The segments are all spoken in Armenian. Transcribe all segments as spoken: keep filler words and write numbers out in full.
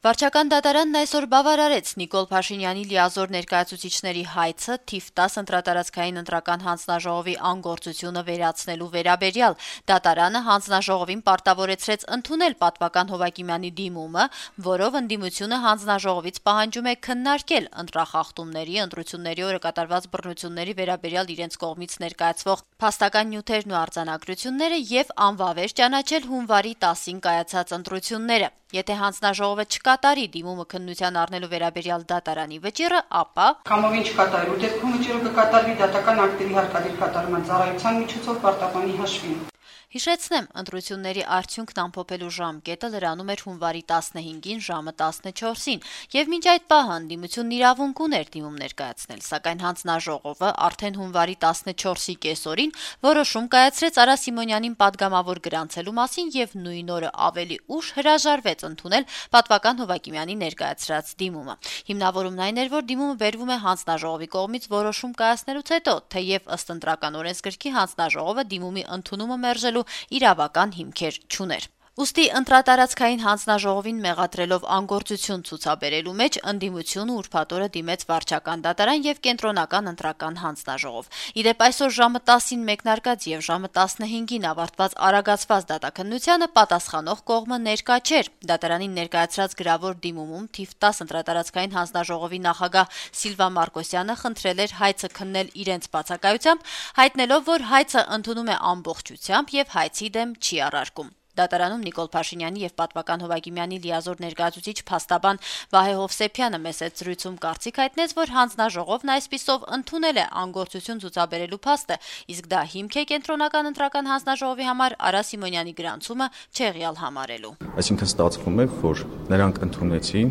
Վարչական դատարանն այսօր բավարարեց Նիկոլ Փաշինյանի լիազոր ներկայացուցիչների հայցը թիվ տասը ընտրատարածքային ընտրական հանձնաժողովի անգործությունը վերացնելու վերաբերյալ։ Դատարանը հանձնաժողովին պարտավորեցրեց ընդունել պատվական Հովակիմյանի դիմումը, որով ընդդիմությունը հանձնաժողովից պահանջում է քննարկել ընտրախախտումների, ընտրությունների օրը կատարված բռնությունների վերաբերյալ իրենց կողմից ներկայացվող փաստական նյութերն ու արձանագրությունները եւ անվավեր ճանաչել հունվարի տասին կայացած ընտրությունները։ Եթե հանձնաժողովը չկատարի դիմումը քննության առնելու վերաբերյալ դատարանի վճիռը, ապա կամովին չկատարելու դեպքում վճիռը կկատարվի դատական ակտերի հարկադիր կատարման ծառայության միջոցով պարտականի հաշվին։ Հիշեցնեմ, ընտրությունների արդյունքն ամփոփելու ժամկետը լրանում էր հունվարի տասնհինգին ժամը տասնչորսին, եւ մինչ այդ պահը ընդդիմությունն իրավունք ուներ դիմում ներկայացնել, սակայն հանձնաժողովը արդեն հունվարի տասնչորսի կեսօրին որոշում կայացրեց Արա Սիմոնյանին պատգամավոր գրանցելու մասին եւ նույն օրը ավելի ուշ հրաժարվեց ընդունել պատվական Հովակիմյանի ներկայացրած դիմումը։ Հիմնավորումն այն էր, որ դիմումը բերվում է հանձնաժողովի կողմից որոշում կայացնելուց հետո, թեև ըստ ընտրական օրենսգրքի հանձնաժողովը դիմումի ընդունումը մերժելու իրավական հիմքեր չուներ։ Ուստի ընտրատարածքային հանձնաժողովին մեղադրելով անգործություն ցուցաբերելու մեջ ընդդիմությունը ուրբաթ օրը դիմեց վարչական դատարան եւ կենտրոնական ընտրական հանձնաժողով։ Իդեպ այսօր ժամը տասին մեկնարկած եւ ժամը տասնհինգին ավարտված արագացված դատաքննությանը պատասխանող կողմը ներկա չէր։ Դատարանին ներկայացրած գրավոր դիմումում թիվ տասը ընտրատարածքային հանձնաժողովի նախագահ Սիլվա Մարկոսյանը խնդրել էր հայցը քննել իրենց բացակայությամբ, հայտնելով, որ հայցը ընդունում է ամբողջությամբ եւ հայցի դեմ չի առարկում։ Դատարանում Նիկոլ Փաշինյանի եւ պատվական Հովակիմյանի լիազոր ներկայացուցիչ փաստաբան Վահե Հովսեփյանը մեծ զրույցում կարծիք հայտնեց, որ հանձնաժողովն այսպիսով ընդունել է անգործություն ցուցաբերելու փաստը, իսկ դա հիմք է կենտրոնական ընտրական հանձնաժողովի համար Արա Սիմոնյանի գրանցումը չեղյալ համարելու։ Այսինքն ստացվում է, որ նրանք ընդունեցին,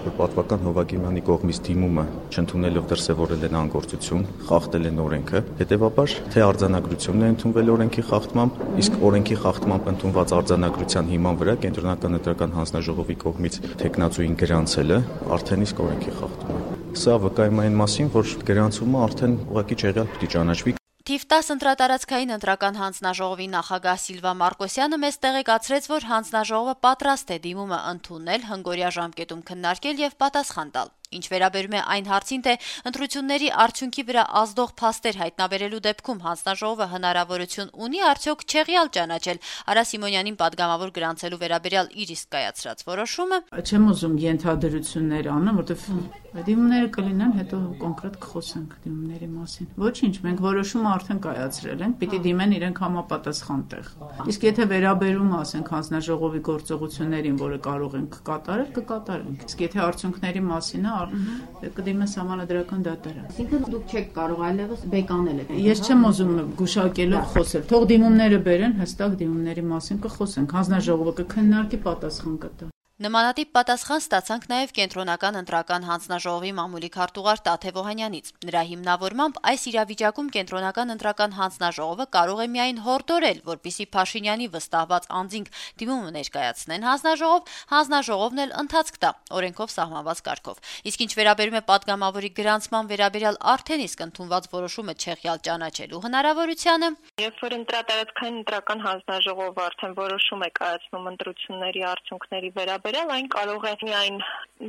որ պատվական Հովակիմյանի կողմից դիմումը չընդունելով դրսևորել են անգործություն, խախտել են օրենքը, հետեւաբար թե արձանագրությունն է ընդունվել օրենքի խախտմամբ, իսկ օրենքի խախտմամբ ընդունված արձանագրության հիման վրա կենտրոնական ընտրական հանձնաժողովի կողմից թեկնածուին գրանցելը արդեն իսկ օրենքի խախտում է։ Սա վկայում է այն մասին, որ գրանցումը արդեն ուղղակի չեղյալ պիտի ճանաչվի։ Թիվ տասը ընտրատարածքային ընտրական հանձնաժողովի նախագահ Սիլվա Մարկոսյանը մեզ տեղեկացրեց, որ հանձնաժողովը պատրաստ է դիմումը ընդունել, հնգօրյա ժամկետում քննարկել եւ պատասխան տալ։ Ինչ վերաբերում է այն հարցին, թե ընտրությունների արդյունքի վրա ազդող փաստեր հայտնաբերելու դեպքում հանձնաժողովը հնարավորություն ունի արդյոք չեղյալ ճանաչել Արա Սիմոնյանին պատգամավոր գրանցելու վերաբերյալ իր իսկ կայացրած որոշումը։ Չեմ ուզում ենթադրություններ անեմ, որովհետեւ դիմումները կլինեն, հետո կոնկրետ կխոսենք դիմումների մասին։ Ոչինչ, մենք որոշումը արդեն կայացրել ենք, պիտի դիմեն իրենք համապատասխան տեղ։ Իսկ եթե վերաբերում ասենք հանձնաժողովի գործողություններին, որը կարող ենք կատարել, կկատարենք։ Իսկ եթե արդյունքների մասին է, կդիմեն սահմանադրական դատարան։ Այսինքն դուք չեք կարող այլևս բեկանել եք։ Ես չեմ ուզում գուշակելով խոսել։ Թող դիմումները բերեն, հստակ դիմումների մասին կխոսենք։ Հանձնաժողովը կքննարկի, պատասխան կտա։ Նմանատիպ պատասխան ստացանք նաև կենտրոնական ընտրական հանձնաժողովի մամուլի քարտուղար Տաթև Օհանյանից։ Նրա հիմնավորմամբ այս իրավիճակում կենտրոնական ընտրական հանձնաժողովը կարող է միայն հորդորել, որպիսի Փաշինյանի վստահված անձինք դիմումը ներկայացնեն հանձնաժողով, հանձնաժողովն էլ ընթացք տա օրենքով սահմանված կարգով։ Իսկ ինչ վերաբերում է պատգամավորի գրանցման վերաբերյալ արդեն իսկ ընդունված որոշումը չեղյալ ճանաչելու հնարավորությանը, երբ որ ընտրատարածքային ընտրական հանձնաժողովը արդեն որոշում է կայացնում ընտրությունների արդյունքների վերաբերյալ այն կարող է միայն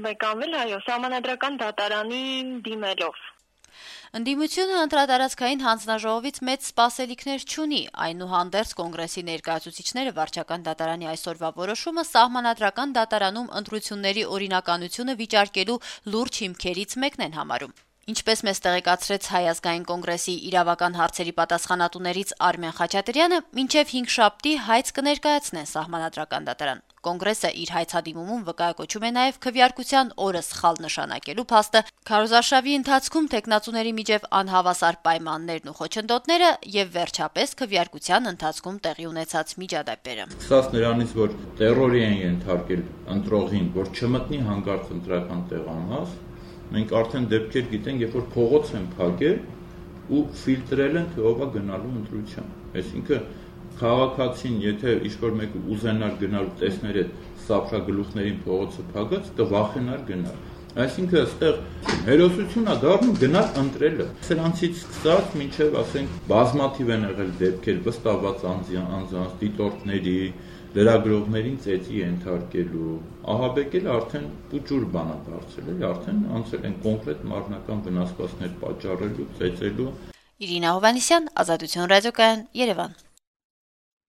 բեկանվել, այո, սահմանադրական դատարանին դիմելով։ Ընդդիմությունը ընտրատարածքային հանձնաժողովից մեծ սպասելիքներ չունի, այնուհանդերձ կոնգրեսի ներկայացուցիչները վարչական դատարանի այսօրվա որոշումը սահմանադրական դատարանում ընտրությունների օրինականությունը վիճարկելու լուրջ հիմքերից մեկն են համարում։ Ինչպես մեզ տեղեկացրեց Հայ ազգային կոնգրեսի իրավական հարցերի պատասխանատուներից Արմեն Խաչատրյանը, մինչև հինգշաբթի հայց կներկայացնեն սահմանադրական դատարան։ Կոնգրեսը իր հայցադիմումում վկայակոչում է նաև քվեարկության օրը սխալ նշանակելու փաստը, քարոզարշավի ընթացքում տեխնացուների միջև անհավասար պայմաններն ու խոչընդոտները եւ վերջապես քվեարկության ընթացքում տեղի ունեցած միջադեպերը։ Սկսած նրանից, որ տերորի են ենթարկել ընտրողին, որ չմտնի հանգարց ընտրական տեղանաց, մենք արդեն դեպքեր գիտենք, երբ որ փողոց են փակել ու ֆիլտրել են, թե ով է գնալու ընտրության։ Այսինքն քաղաքացին, եթե ինչ-որ մեկը ուզենար գնալ ու տեսներ այդ սափրագլուխներին փողոցը փակած, կվախենար գնալ։ Այսինքն այստեղ հերոսություն է դառնում գնալ ընտրելը։ Սրանցից սկսած մինչև ասենք բազմաթիվ են եղել դեպքեր վստահված անձանց, դիտորդների, լրագրողներին ծեծի ենթարկելու, ահաբեկել արդեն ուջուր բան է դարձել, էլի արդեն անցել են կոնկրետ մարմնական վնասվածքներ պատճառելու, ծեծելու։ Իրինա Հովհաննիսյան, Ազատություն ռադիոկայան, Երևան։